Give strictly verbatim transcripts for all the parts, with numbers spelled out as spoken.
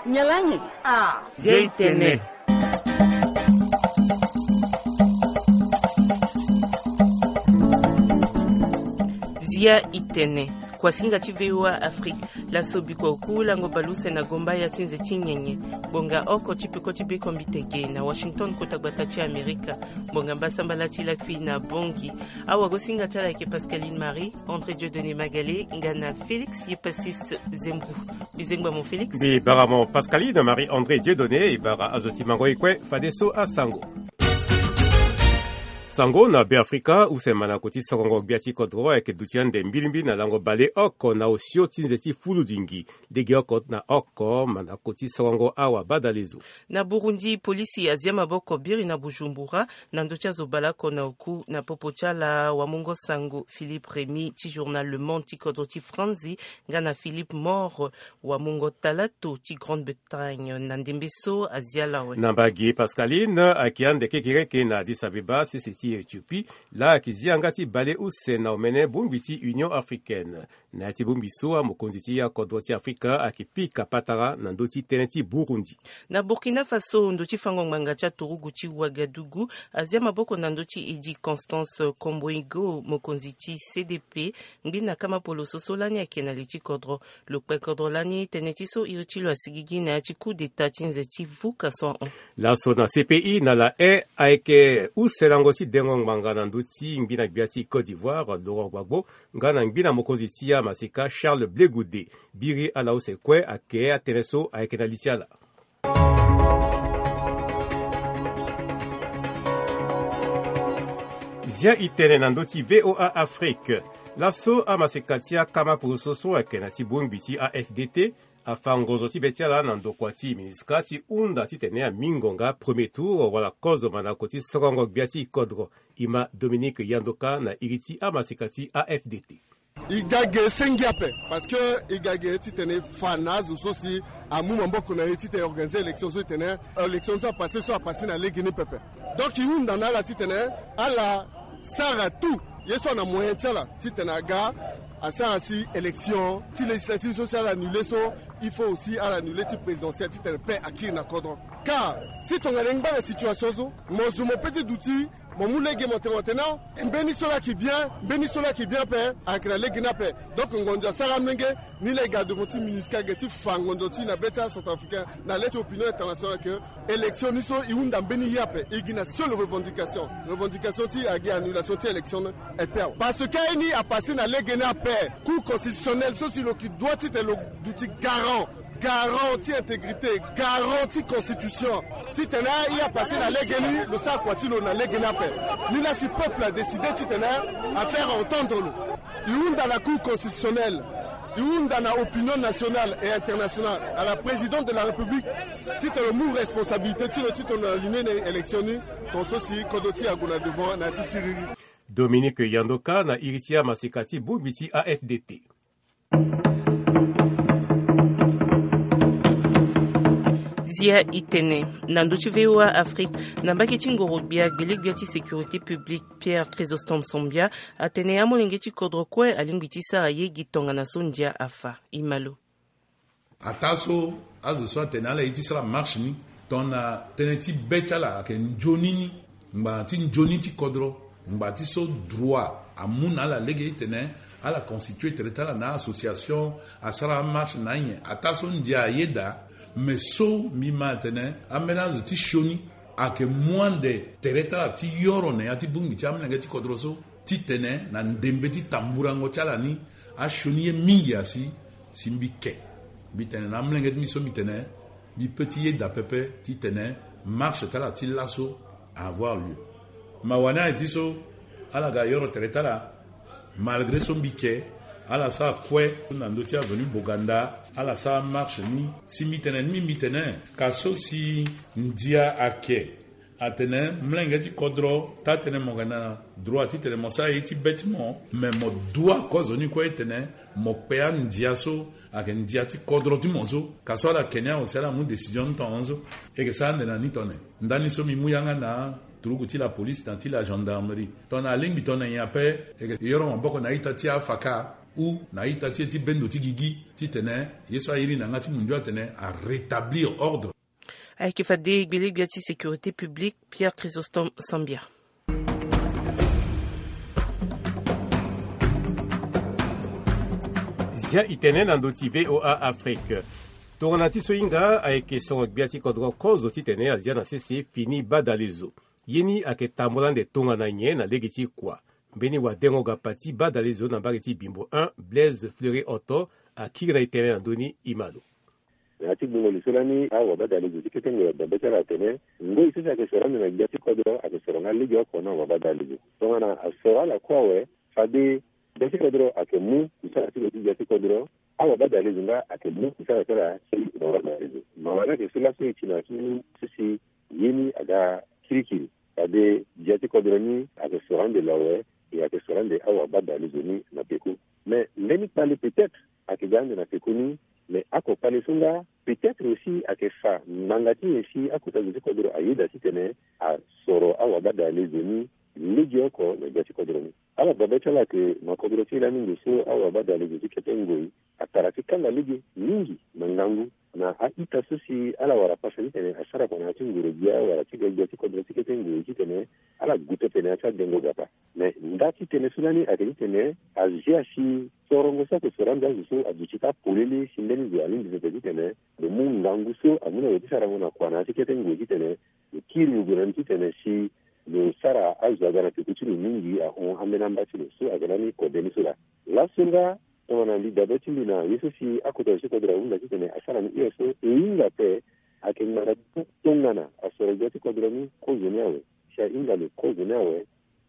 Nyalangi. Ah. Zia i tene. Zia i tene. Kuasinga ti V O A Afrique. Laso biko ku lango baleuse na gomba ya ti nze ti nyenye. Gbonga oko ti peko ti bekombitege na Washington, kota gbata ti Amerika. Gbonga mbasambala ti lakui na Bongi. Awagosinga ti ala ayeke Pascaline Marie, André Dieudonné Magalé nga na Félix Yepasis Zembu. Mbi zengba mo Félix. Mbi bara mo Pascaline Marie André Dieudonné. E bara azo ti mango e kue fadeso asango. Sango na Beafrika, use mandango ti sorongo gbia ti kodro ayeke duti ande mbilimbili na lango baleoko na osio ti nze ti fuludingi. Legeoko na oko mandango ti sorongo awa badalezo. Na Burundi, polisi azia maboko biri na Bujumbura na ndö ti azo baleoko na oku na popo ti ala wamungo sango Philippe Rémy ti journal Le Monde ti kodro ti Franzi nga na Philippe Mor wamungo talato ti Grande-Bretagne. Na ndembe so azia ala awe. Na mbage Pascaline ayeke ande kekereke na Addis Abeba, sese ti Éthiopie, laa ayeke zi yanga ti baleuse na omene bongbi ti Union Africaine. Na ya ti bongbi so amokonzi ti akodro ti Afrika ayeke pika patara na ndö ti tënë ti Burundi. Na Burkina Faso, ndo ti fango ngbanga ti aturugu ti Ouagadougou azia maboko na ndö ti edi Constance Komboigo, mokonzi ti C D P. Ngbina kama poloso so lani ayeke na li ti kodro. Lo kpe kodro lani tënë ti so iri ti lo asigigi na ya ti coup d'état ti nze ti vuka so ahon. Laso na C P I na La Haye ayeke use lango ti dengo ngbanga na ndö ti ngbina gbia ti Côte d'Ivoire, Laurent Gbagbo, nga na ngbina mokonzi ti amaseka Charles Blé Goudé. Biri ala use kue ayeke atënë so ayeke na li ti ala. Zia i tene na ndö ti V O A Afrique. Laso amaseka ti akama poroso so ayeke na ti bongbi ti A F D T afa ngonzo ti be ti ala na ndokua ti MINUSCA ti hunda titene ami ngonga premier tour wala kozo mandango ti sorongo gbia ti kodro. E ma Dominique Yandoka na iri ti amaseka ti A F D T. E ga ge sengi ape, parce que e ga ge titene e fa na azo so si amu maboko na e titene e organiser élection so e tene élection so apasse so apasse na legeni pepe. Donc e hunda na ala titene ala sara tout ye so ana moyen ti ala titene aga asara si élection ti législative so si ala annule so, il faut aussi ala annule ti présidentielle titene paix akiri na kodro. Car si tongana e ngba na situation so, mo zo mo pe ti duti, mo mu lege mo tene mo tene non, mbeni so laa ayeke bien, mbeni so laa ayeke bien ape, ayeke na lege ni ape. Donc ngonzo asara amolenge ni laa e ga devant ti MINUSCA ge ti fa ngonzo ti e na be ti acentrafricain na le ti opinion internationale que élection ni so e hunda mbeni ye ape, e gi na seule revendication. Revendication ti e agi annulation ti élection ni ape awe. Parce que aye ni apasse na lege ni ape. Cour constitutionnelle so si lo yeke doit titene lo duti garant, garant ti intégrité, garant ti constitution, titene e apasse na lege ni, lo sara kua ti lo na lege ni ape. Ni laa si peuple adécide titene afaire entendre lo. E hunda na Cour constitutionnelle, e hunda na opinion nationale et internationale, à la présidente de la République, titene lo mu responsabilité ti lo titene lo annule na élection ni, tongaso si kodro ti e ague na devant na ya ti siriri. Dominique Yandoka na iri ti amaseka ti bongbi ti A F D T. Zia i tene na ndö ti V O A Afrique, na mbage ti ngoro-gbia, gbele-gbia ti sécurité publique Pierre Chrysostome Sombia atene amolenge ti kodro kue alingbi ti sara ye gi tongana so ndia afa. E ma lo. Ataa so azo so atene ala ye ti sara marche ni tongana tënë ti be ti ala ayeke nzoni ni, ngbanga ti nzoni ti kodro, ngbanga ti so droit amu na ala lege titene ala constitue tere ti ala na association, asara amarche na anyen. Ataa so ndia ayeda, me so mbi ma atene ambeni azo ti sioni ayeke mu ande tere ti ala ti yoro na ya ti bongbi ti amolenge ti kodro so, titene na ndembe ti tamburango ti ala ni, asioni ye mingi asi si mbi ke. Mbi tene na amolenge ti mbi so mbi tene mbi peut ti yeda pepe titene marche ti ala ti laso avoir lieu. Mawa ni aye ti so ala ga yoro tere ti ala, malgré so mbi ke, ala sara kue na ndö ti avenue Boganda, ala sara marche ni. Si mbi tene ni mbi tene ka so si ndia ake atene molenge ti kodro, taa tënë mo yeke na droit titene mo sara ye ti be ti mo, me mo dua kozo ni kue titene mo kpe andia so ayeke ndia ti kodro ti mo so. Ka so ala ke ni awe si ala mu décision ni tongaso, e yeke sara ande na ni tongana nyen? Ndani so mbi mu yanga na turugu ti la police na ti la gendarmerie, tongana alingbi tongana nyen ape, e yeke yoro maboko na a-ita ti afaka. ou na ita ti e ti bendo ti gigi titene ye so airi na yanga ti mundu atene arétablir ordre. Ayeke fade gbelegbe ti sécurité publique Pierre Chrysostome Sambia. Zia i tene na ndö ti VOA Afrique. Tongana ti so hinga ayeke soro gbia ti kodro kozo titene azia na sese fini badalezo. Ye ni ayeke tambula ande tongana nyen na lege ti kua? Mbeni wadengo gapa ti badalezo na mbage ti Bimbo un, Blaise Fleury Otto, akiri na e tënë na ndö ni, e ma lo. Na ya ti gbungo li so lani awabadalezo ti kete ngoi ababê ti ala atene ngoi so si ayeke soro ande na gbia ti kodro ayeke soro nga legeoko na wabadalezo. Tongana asoro ala kue awe, fade gbia ti kodro ayeke mu kusala ti lo ti gbia ti kodro, awabadalezo nga ayeke mu kusala ti ala ti wabadalezo. Mawa ni ayeke so laso e ti na ya ti mbeni so si ye ni aga kirikiri. Fade gbia ti kodro ni ayeke soro ande lo awe, e ayeke soro ande awabadalezo ni na peko. Mais mbeni kpale peut-être ayeke ga ande na peko ni, mais ako kpale so nga peut-être aussi ayeke fa ngbanga ti nyen si akota zo ti kodro ayeda titene asoro awabadalezo ni legeoko na gbia ti kodro ni. Ala babê ti ala ayeke na kodro ti e lani ndo so awabadalezo ti kete ngoi atara ti kanga lege mingi na ngangu na a-ita so si ala wara pasa titene asara kua na ya ti nguru gbia wala ti gbia ti kodro ti kete ngoi titene ala gue pepe na ya ti adengo gapa. Mais nda ti tënë so lani ayeke titene azia si sorongo so ayeke soro ande azo so aduti ti apolele si mbeni zo alingbi pepe titene lo mu ngangu so amu na lo ti sarango na kua na ya ti kete ngoi titene lo kiri lo gue na ni titene si lo sara azo aga na peko ti lo mingi ahon ambeni amba ti lo so ayeke lani kode ni so laa. Laso nga tongana mbi dabe ti mbi na ye so si akota zo ti kodro ahunda titene asara ni hio so e hinga ape. Ayeke ngbanga ti tongana asoro gbia ti kodro ni kozo ni awe. Si ahinga lo kozo ni awe,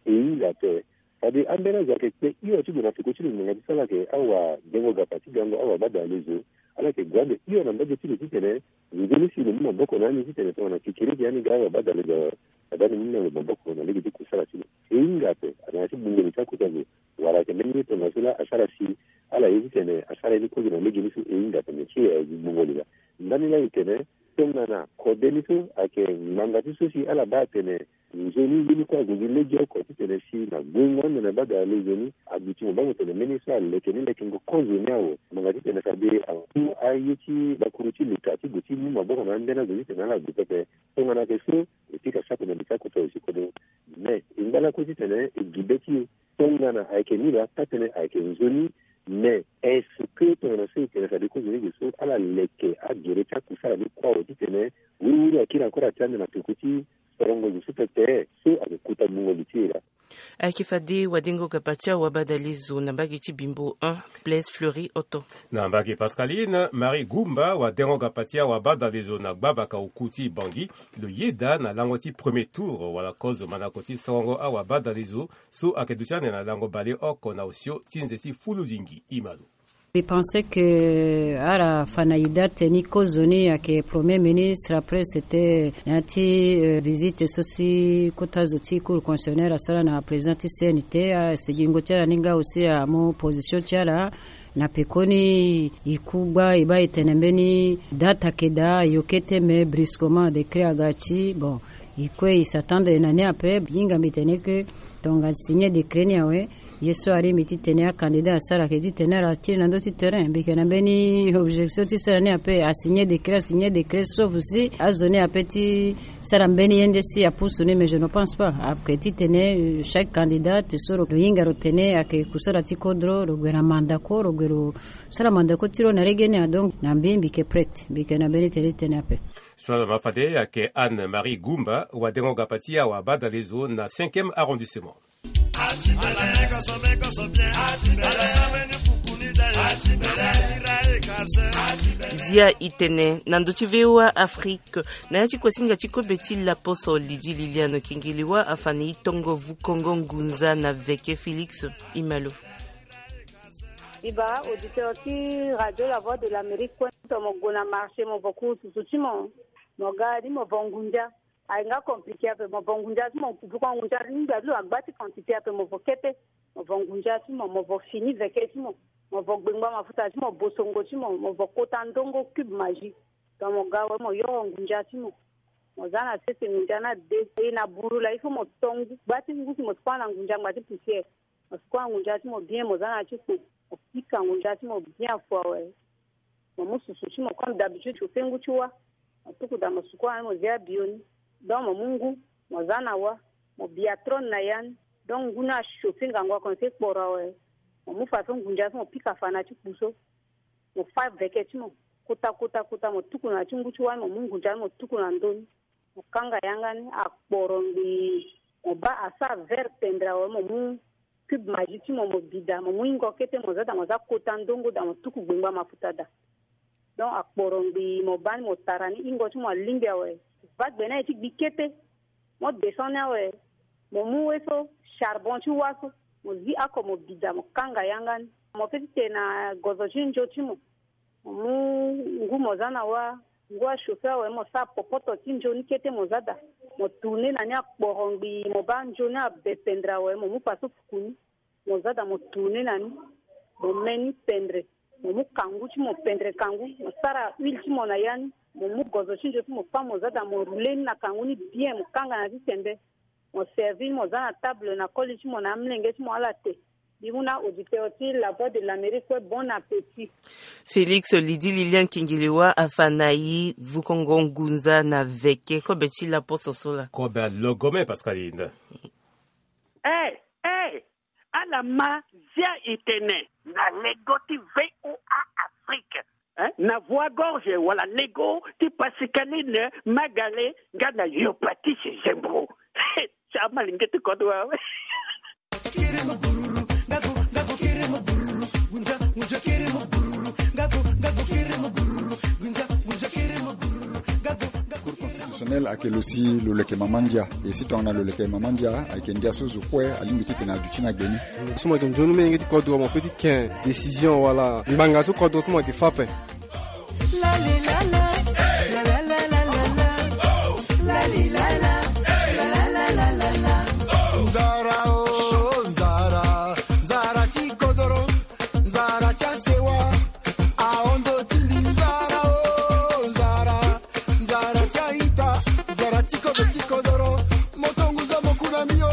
e hinga ape. Fade ambeni azo ayeke kpe hio ti gue na peko ti lo ngbanga ti so ala yeke awadengo gapa ti gango awabadalezo. Ala yeke gue ande hio na mbage ti lo titene nzoni si lo mu maboko na ani titene tongana kekereke ani ga awabadalezo awe, fade ani mu na lo maboko na lege ti kusala ti lo. E hinga ape na ya ti gbungo li ti akota zo. Wala ayeke mbeni ye tongaso laa asara si ala ye titene asara ye ni kozo na lege ni so e hinga tene ti e aye gi gbungo li laa. Ndani laa e tene tongana kode ni so ayeke ngbanga ti so si ala baa atene nzoni ye ni kue ague gi legeoko titene si na guengo ande na badalezo ni aduti mo baa mo tene mbeni ye so aleke ni lekengo kozo ni awe. Ngbanga titene fade amu aye ti bakuru ti leta ti gue ti mu maboko na ambeni azo titene ala gue pepe. Tongana ayeke so e pika saki na li ti akota zo ti kodro. Mais e ngba lakue titene e gi be ti e. Tongana ayeke ni laa taa-tënë ayeke nzoni. Mais est-ce que tongana so e tene fade kozo ni ge so ala leke agere ti akusala ni kue awe titene wiriwiri akiri encore atia ande na peko ti sorongo zo so pepe so ayeke kota gbungo li ti e laa? Ayeke fade wadengo gapa ti awabadalezo na mbage ti Bimbo un, Blaise Fleury Otto. Na mbage Pascaline Marie Goumba, wadengo gapa ti awabadalezo na gbavaka oku ti Bangui, lo yeda na lango ti premier tour wala kozo mandako ti sorongo awabadalezo so ayeke duti ande na lango baleoko na osio ti nze ti fuludingi. E ma lo. Mbi pense que ala fa na ida teni kozo ni ayeke premier ministre, après c'était na ya ti, euh, visite so si kota zo ti cour constitutionnelle asara na président ti C N T, asigingo ti ala ni nga aussi amu position ti ala. Na pekoni e ku gba e baa e tene mbeni date ayeke daa, ayo kete, mais brusquement décret aga ti, bon, e kue e s'attendre na ni ape. Hinga mbi tene que tongana signer décret ni awe, ye so aringbi ti tene acandidat asara ayeke ti tene ala kiri na ndö ti terrain. Mbi yeke na mbeni objection ti sara ni ape, asigner décret, asigner décret, sauf si azo ni ape ti sara mbeni ye nde si apusu ni, mais je ne pense pas. Ayeke titene, euh, chaque candidat so lo hinga lo tene ayeke kusala ti kodro, lo gue na mandako, lo gue lo sara mandako ti lo na lege ni. Donc na mbi, mbi yeke prête, mbi yeke na mbeni tene ti tene ape. So ala ma fade ayeke Anne Marie Goumba, wadengo gapa ti awabadalezo na cinquième arrondissement. Zia i tene na ndö ti V O A Afrique, na ya ti kuasinga ti kobe ti laposo Lydie Liliane Kengelewa afa na e tongo vukongo ngunza na veke Félix Imalo. Iba auditeur ti Radio La Voix de l'Amérique kue, to mo gue na marché mo vo kuru susu ti mo, mo ga ni mo vo ngunza. Aye nga compliqué ape, mo vo ngunza ti mo, vuko ngunza ti ngba ti lo agba ti quantité ape, mo vo kete. Mo vo ngunza ti mo, mo vo fini veke ti mo, mo vo gbengba mafuta ti mo, bosongo ti mo, mo vo kota ndongo cube magie. Donc mo ga awe mo yoro ngunza ti mo. Mo za na sese ngunza ni ade. E na buru laa il faut mo to ngu, gba ti ngu si mo sukua na ngunza ngba ti poussière. Mo sukua na ngunza ti mo bien, mo za na ya ti kpo. Mo pika ngu ndia ti mo bien fo awe. Mo mu susu ti mo comme d'habitude, chauffer ngu ti wa. Mo tuku daa mo suku wa ni, mo zi abio ni. Donc mo mu ngu, mo za na wa, mo bia trone na ya ni. Donc ngu ni achauffer ngangu akono ti kporo awe. Mo mu fa so ngu ndia so mo pika fa na ti kpu so. Mo fa veke ti mo kota kota kota, mo tuku na ti ngu ti wa ni, mo mu ngu ndia ni mo tuku na ndö ni. Mo kanga yanga ni, akporo ngbii. Mo baa asara vert pendre awe, mo mu cube Maggi ti mo, mo bida, mo mu ingo kete, mo za daa, mo za kota ndongo daa, mo tuku gbengba mafuta daa. Donc akporo ngbii, mo baa ni, mo tara ni, ingo ti mo alingbi awe. Mo baa gbe ni aye ti gbi kete. Mo descend ni awe. Mo mu we so, charbon ti wa so, mo zi oko, mo bida, mo kanga yanga ni. Mo feti tene na gozo ti nzo ti mo. Mo mu ngu mo za na wa, ngu achauffer awe, mo sara popoto ti nzo ni kete, mo za daa. Mo tourner na ni, akporo ngbii, mo baa nzo ni abe pendre awe, mo mu fa so fuku ni. Mo za daa, mo tourner na ni. Mo me ni pendre. Mo mu kangu ti mo, pendre kangu. Mo sara huile ti mo na ya ni. Mo mu gozo ti nzo ti mo fâ, mo za daa, mo rouler ni na kangu ni bien, mo kanga na ti sembe. Mo servir ni, mo za na table na koli ti mo na amolenge ti mo ala te. Mbi mu na auditeur ti La Voix de l'Amérique kue, bon appétit. Félix Lydie Lilian Kingiliwa afa na e vukongo ngunza na veke. Kobe ti laposo so laa. Kobe alogome, Pascaline. Eh, eh, ala ma Zia Itene na lego ti V O A Afrique. Hein? Na voix gorge wala lego ti Pascaline Magale nga na Yopatisi Zembro. Sa malingeti kodro awe. Cour constitutionnelle ayeke lo si lo leke mama ndia. E si tongana lo leke mama ndia, ayeke ndia so zo kue alingbi ti tene aduti na gbe ni. So mo yeke nzoni melenge ti kodro, mo pe ti ken décision wala ngbanga so kodro ti mo yeke fâ ape. Nzara o, nzara, nzara ti kodoro, nzara ti asewa, ahondo ti mbi, nzara o, nzara, nzara ti a-ita, nzara ti kodo ti kodoro, moto ngu zo mo ku na mbi o.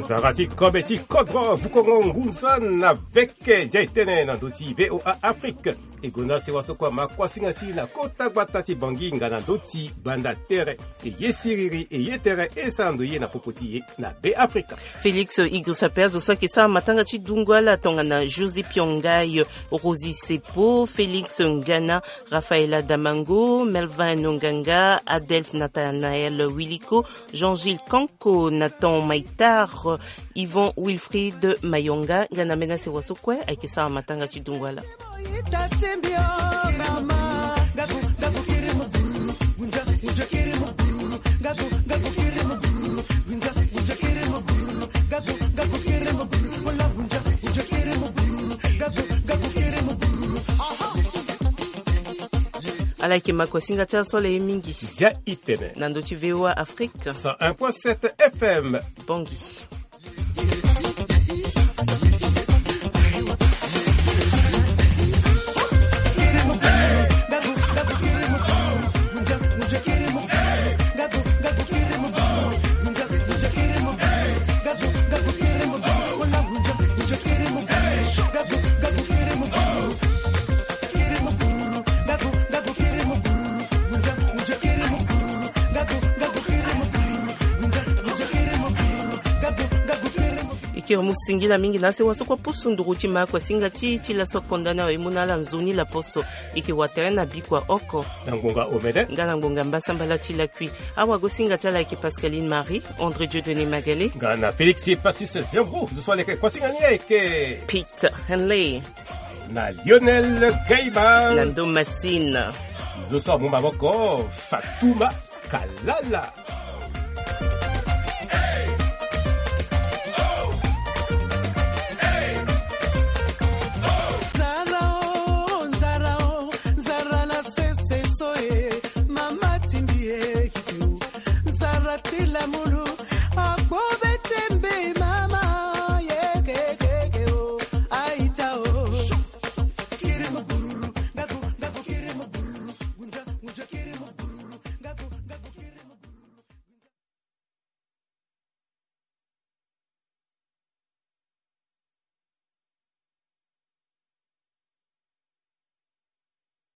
Nzara ti kobe ti kodro, vukongo ngunza na veke. Zia e tene na ndö ti V O A Afrique. E gonda sewa so kue ama kuasinga ti e na kota gbata ti Bangui nga na ndö ti gbanda tere. E ye siriri, e ye tere, e sara ndo ye na popo ti e na Be Afrika. Félix Idrissa Perez so ayeke sara matanga ti dungu ala tongana José Piongayo, Rosie Sepo, Félix Ngana, Rafaela Damango, Melvin Nonganga, Adelphe Nathanaël Wiliko, Jean-Gilles Kanko, Nathan Maïtar, Yvon Wilfried Mayonga, nga na mbeni asewa so kue ayeke sara matanga ti dungu ala. Ala yeke makuasinga ti ala so ala ye mingi. Zia e tene na ndö ti V O A Afrique cent un point sept F M. Bangui. E kiri mu singila mingi na asewa so kue pusu nduru ti makuasinga ti e ti laso konda ni awe, e mu na ala nzoni laposo. E yeke watere na bikua oko na ngbonga omene nga na ngbonga mbasambala ti lakui. Awagosinga ti ala ayeke Pascaline Marie, André Dieudonné Magalé nga na Félix Passis Zembro. Zo so aleke kuasinga ni ayeke Pete Henley na Lionel Gaiba na ndo Massine. Zo so amu maboko Fatouma Kalala.